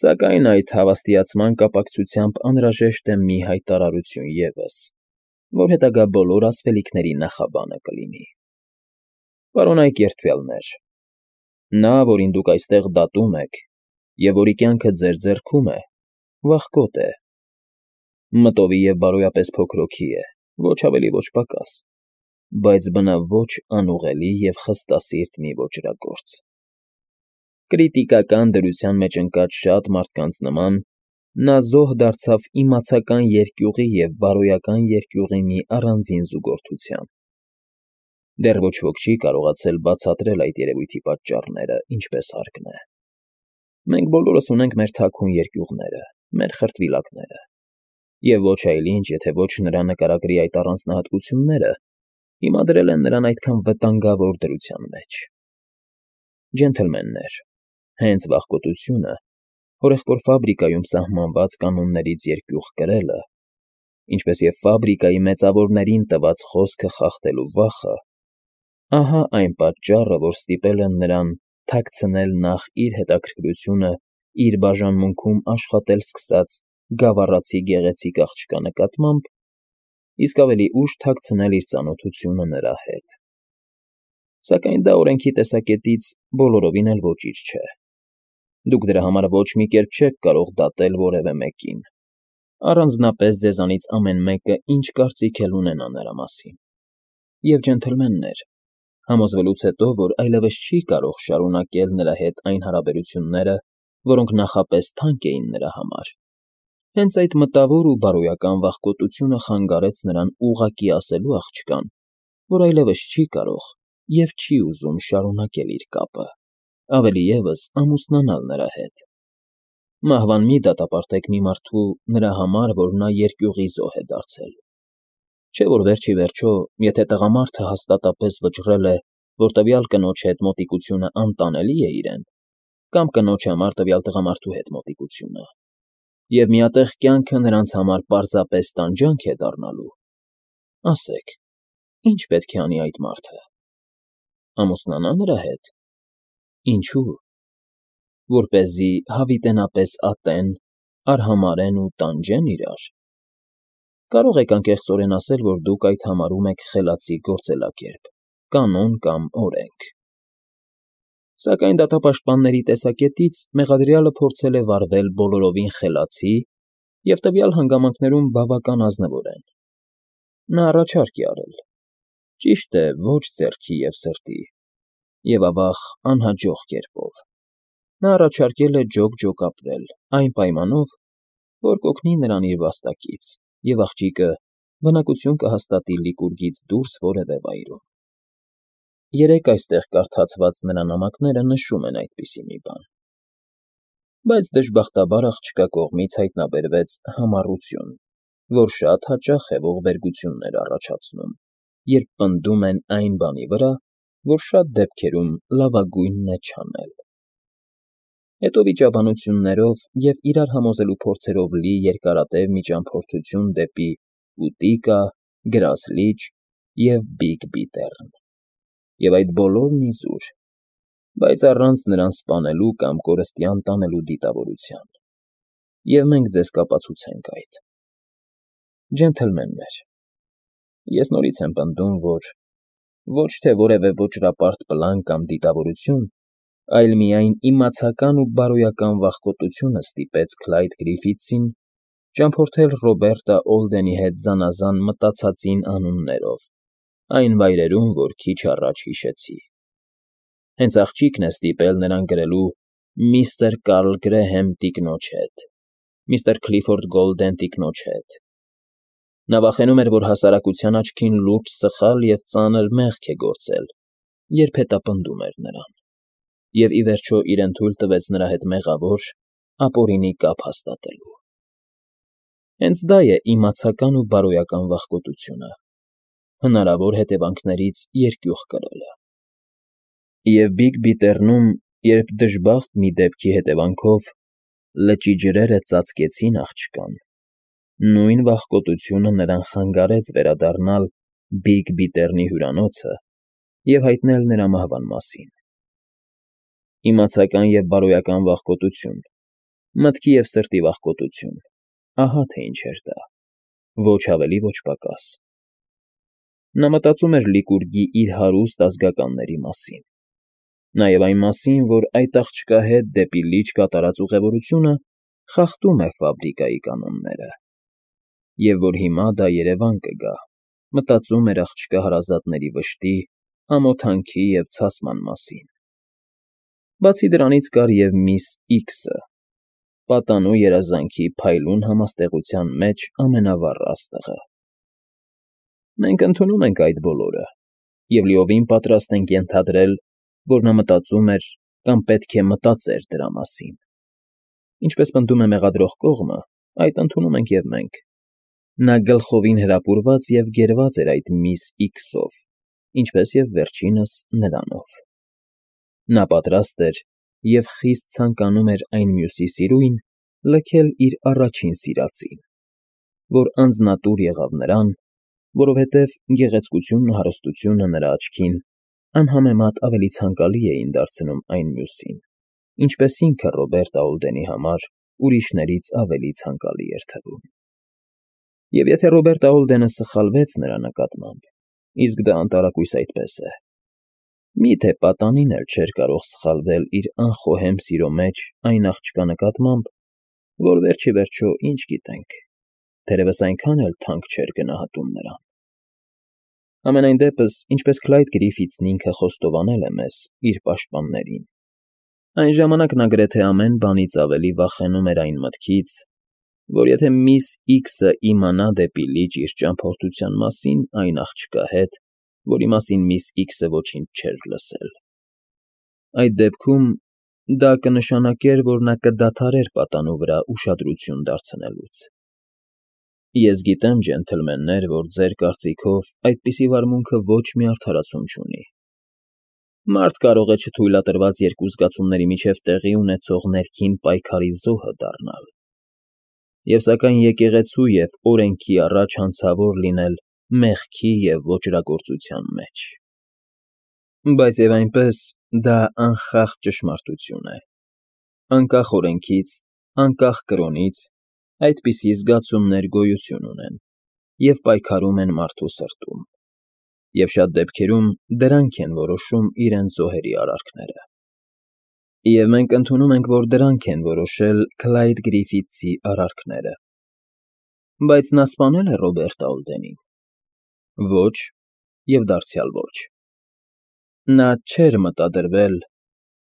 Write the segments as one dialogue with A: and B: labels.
A: Սակայն այդ հավաստիացման կապակցությամբ անհրաժեշտ է մի հայտարարություն ևս, որ հետագա բոլոր ասվելիքների նախաբանը կլինի։ Պարոնայք երդվյալներ, նա, որին դուք այստեղ դատում եք, և որի կյանքը ձեր ձեռքում է, վախկոտ է, մտովի և բարոյապես փոքրոքի է, ոչ ավելի, ոչ պակաս, բայց բնավ ոչ անուղելի և խստասիրտ մի ոճրագործ։ Կրիտիկական դրության մեջ ընկած շատ մարդկանց նման նա զոհ դարձավ իմացական երկյուղի և բարոյական երկյուղի մի առանձին զուգորդության։ Դեռ ոչ ոք չի կարողացել բացատրել այդ երևույթի պատճառները, ինչպես հարկն է։ Մենք բոլորս ունենք մեր թաքուն երկյուղները, մեր խրտվիլակները, և ոչ այլ ինչ, եթե ոչ նրա նկարագրի այդ առանձնահատկությունները, հիմա դրել են նրան այդքան վտանգավոր դրության մեջ։ Ջենթլմեններ, հենց վախկոտությունը, հորեղբոր ֆաբրիկայում սահմանված կանոններից երկյուղ կրելը, ինչպես և ֆաբրիկայի մեծավորներին տված խոսքը խախտելու վախը, ահա այն պատճառը, որ ստիպել են նրան թաքցնել նախ իր հետաքրքրությունը իր բաժանմունքում աշխատել սկսած գավառացի գեղեցիկ աղջկա նկատմամբ, իսկ ավելի ուշ թաքցնել իր ծանոթությունը նրա հետ։ Սակայն դա օրենքի տեսակետից բոլորովին էլ ոճիր չէ։ Դուք դրա համար ոչ մի կերպ չեք կարող դատել որևէ մեկին, առանձնապես ձեզանից ամեն մեկը ինչ կարծիք էլ ունենա նրա մասին։ Եվ, ջենթլմեններ, համոզվելուց հետո, որ այլևս չի կարող շարունակել նրա հետ այն հարաբերությունները, որոնք նախապես թանկ էին նրա համար, հենց այդ մտավոր ու բարոյական վախկոտությունը խանգարեց նրան ուղղակի ասելու աղջկան, որ այլևս չի կարող և չի ուզում շարունակել իր կապը, ավելի ևս ամուսնանալ նրա հետ։ Մահվան մի դատապարտեք մի մարդու նրա համար, որ նա երկյուղի զոհ է դարձել։ Չէ՞ որ վերջ ի վերջո, եթե տղամարդը հաստատապես վճռել է, որ տվյալ կնոջ հետ մոտիկությունը անտանելի է իրեն, կամ կնոջ համար տվյալ տղամարդու հետ մոտիկությունը, և միատեղ կյանքը նրանց համար պարզապես տանջանք է դառնալու, ասեք, ի՞նչ պետք է անի այդ մարդը։ Ամուսնանա՞ նրա հետ։ Ինչո՞ւ։ Որպեսզի հավիտենապես ատեն, արհամարհեն ու տանջեն իրար։ Կարող եք անկեղծորեն ասել, որ դուք այդ համարում եք խելացի գործելակերպ, կանոն կամ օրենք։ Սակայն դատապաշտպանների տեսակետից մեղադրյալը փորձել է վարվել բոլորովին խելացի և տվյալ հանգամանքներում բավական ազնվորեն։ Նա առաջարկ է արել, ճիշտ է, ոչ ձեռքի և սրտի, և, ավաղ, անհաջող կերպով։ Նա առաջարկել է ջոկ ապրել, այն պայմանով, որ կօգնի նրան իր վաստակից, և աղջիկը բնակություն կհաստատի Լիկուրգից դուրս որևէ վայրում։ Երեկ այստեղ կարդացված նրա նամակները նշում են այդպիսի մի բան։ Բայց դժբախտաբար աղջկա կողմից հայտնաբերվեց համառություն, որ շատ հաճախ է ողբերգություններ առաջացնում, երբ պնդում են այն բանի վրա, որ շատ դեպքերում լավագույնն է չանել։ Հետո վիճաբանություններով և իրար համոզելու փորձերով լի երկարատև միջամփորդություն դեպի Ուտիկա, Գրասլիչ և Բիգ Բիթեռն, և այդ բոլորն իզուր, բայց առանց նրան սպանելու կամ կորստյան տանելու դիտավորության, և մենք ձեզ կապացուցենք այդ։ Ջենթլմեններ, ես նորից եմ պնդում, որ ոչ թե որևէ ոճրապարտ պլան կամ դիտավորություն, այլ միայն իմացական ու բարոյական վախկոտությունը ստիպեց Քլայդ Գրիֆիթսին ճամփորդել Ռոբերտա Օլդենի հետ զանազան մտացածին անուններով այն վայրերում, որ քիչ առաջ հիշեցի։ Հենց աղջիկն է ստիպել նրան գրելու «Միստր Կարլ Գրեհեմ տիկնոջ հետ», «Միստր Քլիֆորդ Գոլդեն տիկնոջ հետ»։ Նա վախենում էր, որ հասարակության աչքին լուրջ սխալ և ծանր մեղք է գործել, երբ հետապնդում էր նրան, և ի վերջո իրեն թույլ տվեց նրա հետ մեղավոր, ապօրինի կապ հաստատելու։ Հենց դա է իմացական ու բարոյական վախկոտությունը, հնարավոր հետևանքներից երկյուղ կրելը։ Եվ Բիգ Բիթեռնում, երբ դժբախտ մի դեպքի հետևանքով լճի ջրերը ծածկեցին աղջկան, նույն վախկոտությունը նրան խանգարեց վերադառնալ Բիգ Բիթեռնի հյուրանոցը և հայտնել նրա մահվան մասին։ Իմացական և բարոյական վախկոտություն, Մտքի և սրտի վախկոտություն, ահա թե ինչ էր դա, ոչ ավելի, ոչ պակաս։ Նա մտածում էր Լիկուրգի իր հարուստ ազգականների մասին, նաև այն մասին, որ այդ աղջկա հետ դեպի լիճ կատարած ուղևորությունը խախտում է ֆաբրիկայի կանոնները, և որ հիմա դա երևան կգա, մտածում էր աղջկա հարազատների վշտի, ամոթանքի և ցասման մասին։ Բացի դրանից կար և միս Իքսը, պատանու երազանքի փայլուն համաստեղության մեջ ամենավառ աստղը։ Մենք ընդունում ենք այդ բոլորը և լիովին պատրաստ ենք ենթադրել, որ նա մտածում էր կամ պետք է մտածեր դրա մասին։ Ինչպես պնդում է մեղադրող կողմը, այդ ընդունում ենք և մենք։ Նա գլխովին հրապուրված և գերված էր այդ միս Իքսով, ինչպես և վերջինս նրանով։ Նա պատրաստ էր և խիստ ցանկանում էր այն մյուսի սիրույն լքել իր առաջին սիրածին, որ անձնատուր եղավ նրան, որովհետև գեղեցկությունն ու հարստությունը նրա աչքին անհամեմատ ավելի ցանկալի էին դարձնում այն մյուսին, ինչպես ինքը Ռոբերտ Աուլդենի համար ուրիշներից ավելի ցանկալի էր թվում։ Եվ եթե Ռոբերտ Աուլդենը սխալվեց նրա նկատմամբ, իսկ դա անտարակույս այդպես է, մի՞թե պատանին էլ չէր կարող սխալվել իր անխոհեմ սիրո մեջ այն աղջկա նկատմամբ, որ վերջիվերջո, ինչ գիտենք, թերևս այնքան էլ թանկ չէր գնահատում նրան։ Համենայն դեպս, ինչպես Քլայդ Գրիֆիթսն ինքը խոստովանել է մեզ, իր պաշտպաններին, այն ժամանակ նա գրեթե ամեն բանից ավելի վախենում էր այն մտքից, որ եթե միս Իքսը իմանա դեպի լիճ իր ճամփորդության մասին այն աղջկա հետ, որի մասին միս Իքսը ոչինչ չէր լսել, այդ դեպքում դա կնշանակեր, որ նա կդադարեր պատանու վրա ուշադրություն դարձնելուց։ Ես գիտեմ, ջենթլմեններ, որ ձեր կարծիքով այդպիսի վարմունքը ոչ մի արդարացում չունի։ Մարդ կարող է չթույլատրված երկու զգացումների միջև տեղի ունեցող ներքին պայքարի զոհը դառնալ, և սակայն եկեղեցու և օրենքի առաջ հանցավոր լինել մեղքի և ոճրագործության մեջ։ Բայց և այնպես դա անխախտ ճշմարտություն է։ Անկախ օրենքից, անկախ կրոնից, այդպիսի զգացումներ գոյություն ունեն և պայքարում են մարդու սրտում, և շատ դեպքերում դրանք են որոշում իրենց զոհերի արարքները։ Եվ մենք ընդունում ենք, որ դրանք են որոշել Քլայդ Գրիֆիթսի արարքները։ Բայց նա սպանե՞լ է Ռոբերտ Աուլդենին։ Ոչ, և դարձյալ ոչ։ Նա չէր մտադրվել,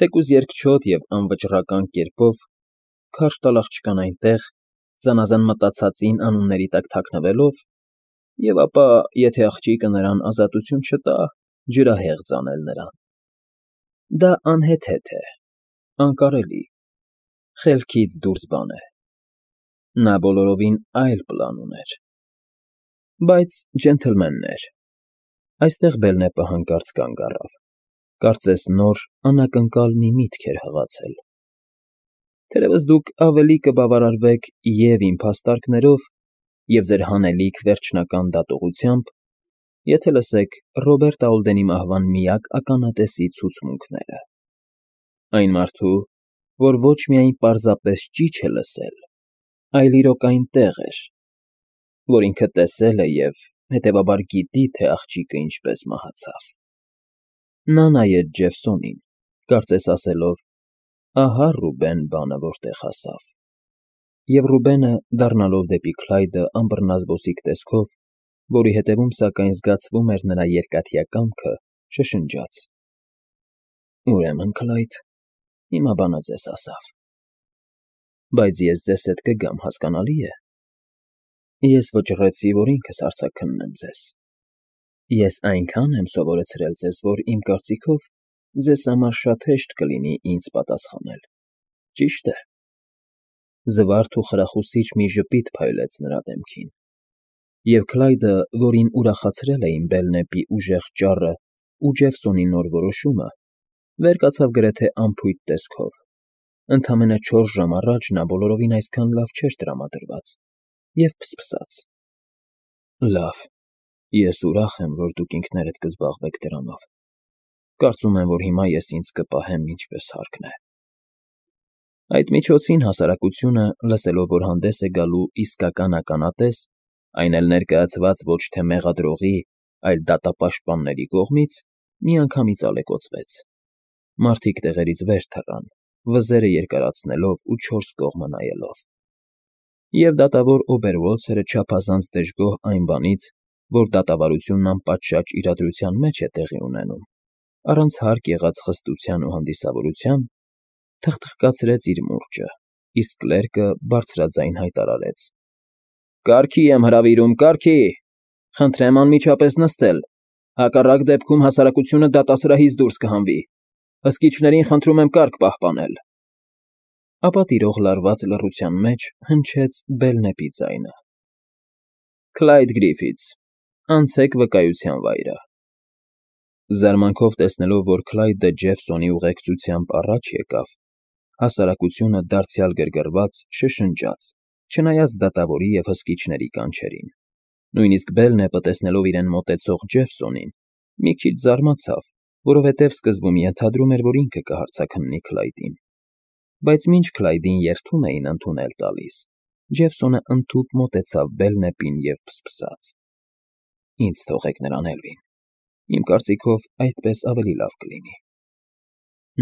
A: թեկուզ երկչոտ և անվճռական կերպով, քարշ տալ աղջկան այնտեղ, զանազան մտածածին անունների տակ թաքնվելով, և ապա, եթե աղջիկը նրան ազատություն չտա, ջրահեղձ անել նրան։ Դա անհեթեթ է, անկարելի, խելքից դուրս բան է։ Նա բոլորովին այլ պլան ուներ։ Բայց, ջենթլմեններ, այստեղ Բելնեպը հանկարծ կանգ առավ, կարծես նոր, անակնկալ մի միտք էր հղացել։ Թերևս դուք ավելի կբավարարվեք և՛ իմ փաստարկներով, և՛ ձեր հանելիք վերջնական դատողությամբ, եթե լսեք Ռոբերտ Աուլդենի մահվան միակ ականատեսի ցուցմունքները։ Այն մարդու, որ ոչ միայն պարզապես ճիչ է լսել, այլ իրոք այնտեղ էր, որ ինքը տեսել է և, հետևաբար, գիտի, թե աղջիկը ինչպես մահացավ։ Նա նայեց Ջեֆսոնին, կարծես ասելով. «Ահա Ռուբեն բանը որտեղ հասավ»։ Եվ Ռուբենը, դառնալով դեպի Քլայդը անբռնազբոսիկ տեսքով, որի հետևում, սակայն, զգացվում էր նրա երկաթյա կամքը, շշնջաց. «Ուրեմն, Քլայդ, հիմա բանը ձեզ հասավ։ Բայց ես ձեզ հետ կգամ, հասկանալի է։ Ես վճռեցի, որ ինքս արձագաննեմ ձեզ։ Ես այնքան եմ սովորեցրել ձեզ, որ, իմ կարծիքով, ձեզ համար շատ հեշտ կլինի ինձ պատասխանել, ճի՞շտ է»։ Զվարթ ու խրախուսիչ մի ժպիտ փայլեց նրա դեմքին, և Քլայդը, որին ուրախացրել էին Բելնեպի ուժեղ ճառը ու Ջեֆսոնի նոր որոշումը, վեր կացավ գրեթե անփույթ տեսքով. ընդամենը 4 ժամ առաջ նա բոլորովին այսքան լավ չէր տրամադրված, և ֆսֆսաց. «Լավ, ես ուրախ եմ, որ դուք ինքներդ կզբաղվեք դրանով։ Կարծում եմ, որ հիմա ես ինձ կպահեմ ինչպես հարկն է»։ Այդ միջոցին հասարակությունը, լսելով, որ հանդես է գալու իսկական ականատես, այն էլ ներկայացված ոչ թե մեղադրողի, այլ դատապաշտպանների կողմից, միանգամից ալեկոծվեց. մարդիկ տեղերից վեր թռան, վզերը երկարացնելով ու չորս կողմը նայելով։ Եվ դատավոր Օբերվոլցերը չափազանց դժգոհ այն բանից, որ դատավարությունն անպատշաճ իրադրության մեջ է տեղի ունենում, առանց հարկ եղած խստության ու հանդիսավորության, թխթխկացրեց իր մուրճը, իսկ կլերկը բարձրաձայն հայտարարեց. «Կարգի եմ հրավիրում, կարգի… Խնդրեմ անմիջապես նստել, հակառակ դեպքում հասարակությունը դատասրահից դուրս կհանվի, հսկիչներին խնդրում եմ կարգ պահպանել»։ Ապա տիրող լարված լռության մեջ հնչեց Բելնեպի ձայնը. «Քլայդ Գրիֆիթս, անցեք վկայության վայրը»։ Զարմանքով տեսնելով, որ Քլայդը Ջեֆսոնի ուղեկցությամբ առաջ եկավ, հասարակությունը դարձյալ գրգռված շշնջաց, չնայած դատավորի և հսկիչների կանչերին։ Նույնիսկ Բելնեպը, տեսնելով իրեն մոտեցող Ջեֆսոնին, մի քիչ զարմացավ, որովհետև սկզբում ենթադրում էր, որ ինքը կհարձաքննի Քլայդին։ Բայց մինչ Քլայդին երդում էին ընդունել տալիս, Ջեֆսոնը ընդհուպ մոտեցավ Բելնեպին և փսփսաց. «Ինձ թողեք նրան, Էլվին, իմ կարծիքով այդպես ավելի լավ կլինի։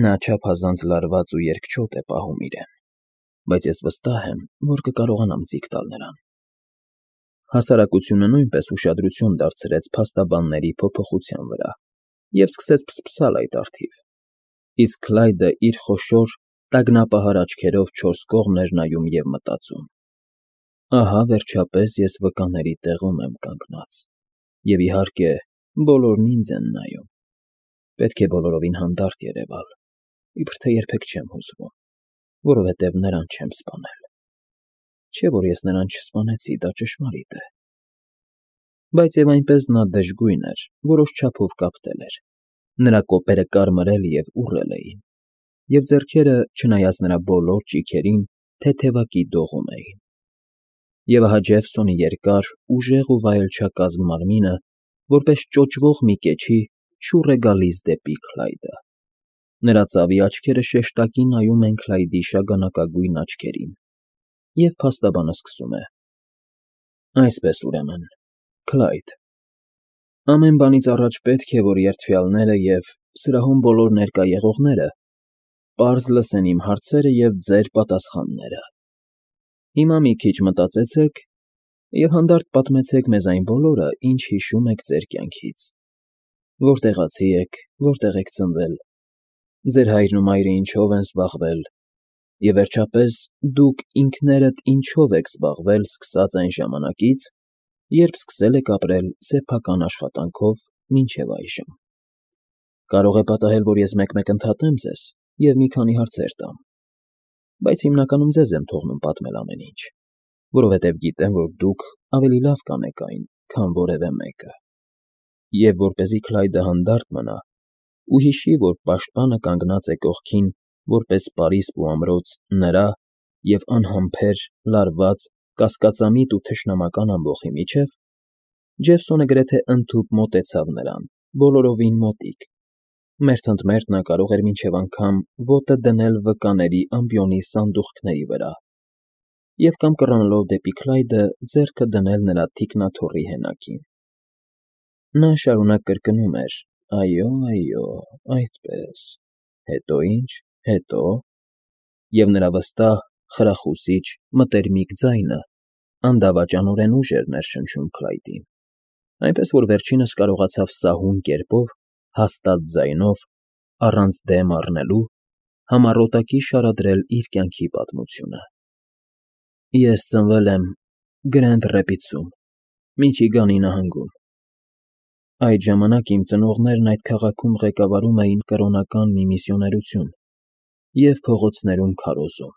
A: Նա չափազանց լարված ու երկչոտ է պահում իրեն, բայց ես վստահ եմ, որ կկարողանամ ձիգ տալ նրան»։ Հասարակությունը նույնպես ուշադրություն դարձրեց փաստաբանների փոփոխության վրա և սկսեց փսփսալ այդ առթիվ, իսկ Քլայդը իր խոշոր, տագնապահար աչքերով չորս կողմ էր նայում և մտածում. «Ահա, վերջապես, ես վկաների տեղում եմ կանգնած, և, իհարկե, բոլորն ինձ են նայում։ Պետք է բոլորովին հանդարտ երևալ, իբր թե երբեք չեմ հուզվում, որովհետև նրան չեմ սպանել։ Չէ՞ որ ես նրան չսպանեցի, դա ճշմարիտ է»։ Բայց և այնպես նա դժգույն էր, որոշ չափով կապտել էր, նրա կոպերը կարմրել և ուռել էին, և ձեռքերը, չնայած նրա բոլոր ճիգերին, թեթևակի դողում էին։ Եվ ահա Ջեֆսոնի երկար, ուժեղ ու վայելչակազմ մարմինը, որպես ճոճվող մի կեչի, շուռ է գալիս դեպի Քլայդը։ Նրա ծավի աչքերը շեշտակի նայում են Քլայդի շագանակագույն աչքերին, և փաստաբանը սկսում է. «Այսպես, ուրեմն, Քլայդ, ամեն բանից առաջ պետք է, որ երդվյալները և սրահում բոլոր ներկա եղողները պարզ լսեն իմ հարցերը և ձեր պատասխանները։ Հիմա մի քիչ մտածեցեք և հանդարտ պատմեցեք մեզ այն բոլորը, ինչ հիշում եք ձեր կյանքից. որտեղացի եք, որտեղ եք ծնվել, ձեր հայրն ու մայրը ինչով են զբաղվել, և, վերջապես, դուք ինքներդ ինչով եք զբաղվել սկսած այն ժամանակից, երբ սկսել եք ապրել սեփական աշխատանքով մինչև այժմ։ Կարող է պատահել, որ ես մեկ֊մեկ ընդհատեմ ձեզ և մի քանի հարցեր տամ, բայց հիմնականում ձեզ եմ թողնում պատմել ամեն ինչ, որովհետև գիտեմ, որ դուք ավելի լավ կանեք այն, քան որևէ մեկը։ Եվ որպեսզի Քլայդը հանդարտ մնա ու հիշի, որ պաշտպանը կանգնած է կողքին որպես պարիսպ ու ամրոց նրա և անհամբեր, լարված, կասկածամիտ ու թշնամական ամբոխի միջև, Ջեֆսոնը գրեթե ընդհուպ մոտեցավ նրան, բոլորովին մոտիկ, մերթ ընդ մերթ նա կարող էր մինչև անգամ ոտը դնել վկաների ամբիոնի սանդուղքների վրա և կամ կռանելով դեպի Քլայդը, ձեռքը դնել նրա թիկնաթոռի հենակին։ Նա շարունակ կրկնում էր. «Այո, այո, այդպես, հետո ի՞նչ, հետո…» և նրա վստահ, խրախուսիչ, մտերմիկ ձայնը անդավաճանորեն ուժ էր ներշնչում Քլայդին, այնպես որ վերջինս կարողացավ սահուն կերպով, հաստատ ձայնով, առանց դեմ առնելու, համառոտակի շարադրել իր կյանքի պատմությունը։ «Ես ծնվել եմ Գրենդ Ռեպիդսում, Միչիգանի նահանգում։ Այդ ժամանակ իմ ծնողներն այդ քաղաքում ղեկավարում էին կրոնական մի միսիոներություն և փողոցներում քարոզում։